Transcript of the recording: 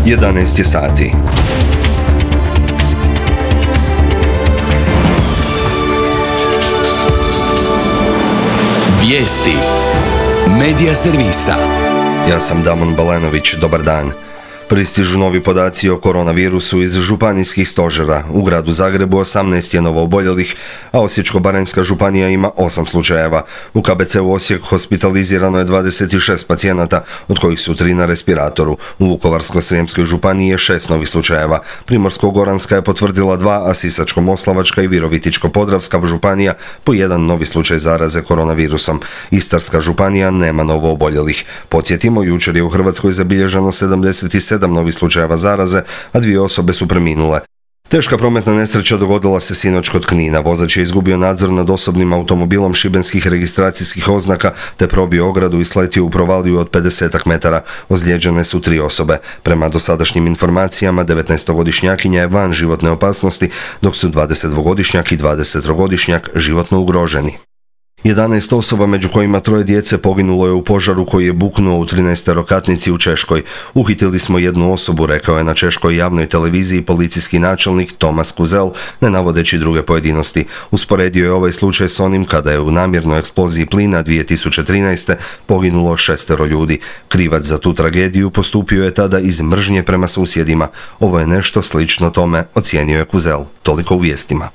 11 je sati. Vijesti Medija servisa. Ja sam Damon Balenović, dobar dan. Pristižu novi podaci o koronavirusu iz županijskih stožera. U gradu Zagrebu 18 je novooboljelih, a Osječko-baranjska županija ima 8 slučajeva. U KBC-u Osijek hospitalizirano je 26 pacijenata, od kojih su 3 na respiratoru. U Vukovarsko-srijemskoj županiji je 6 novih slučajeva. Primorsko-goranska je potvrdila 2, a Sisačko-moslavačka i Virovitičko-podravska županija po 1 novi slučaj zaraze koronavirusom. Istarska županija nema novooboljelih. Podsjetimo, jučer je u Hrvatskoj zabilježeno 77 novih slučajeva zaraze, a 2 osobe su preminule. Teška prometna nesreća dogodila se sinoć kod Knina. Vozač je izgubio nadzor nad osobnim automobilom šibenskih registracijskih oznaka te probio ogradu i sletio u provaliju od 50 metara. Ozlijeđene su 3 osobe. Prema dosadašnjim informacijama, 19-godišnjakinja je van životne opasnosti, dok su 22-godišnjak i 20-godišnjak životno ugroženi. 11 osoba, među kojima 3 djece, poginulo je u požaru koji je buknuo u 13-katnici u Češkoj. Uhitili smo 1 osobu, rekao je na češkoj javnoj televiziji policijski načelnik Tomas Kuzel, ne navodeći druge pojedinosti. Usporedio je ovaj slučaj s onim kada je u namjernoj eksploziji plina 2013. poginulo 6 ljudi. Krivac za tu tragediju postupio je tada iz mržnje prema susjedima. Ovo je nešto slično tome, ocijenio je Kuzel. Toliko u vijestima.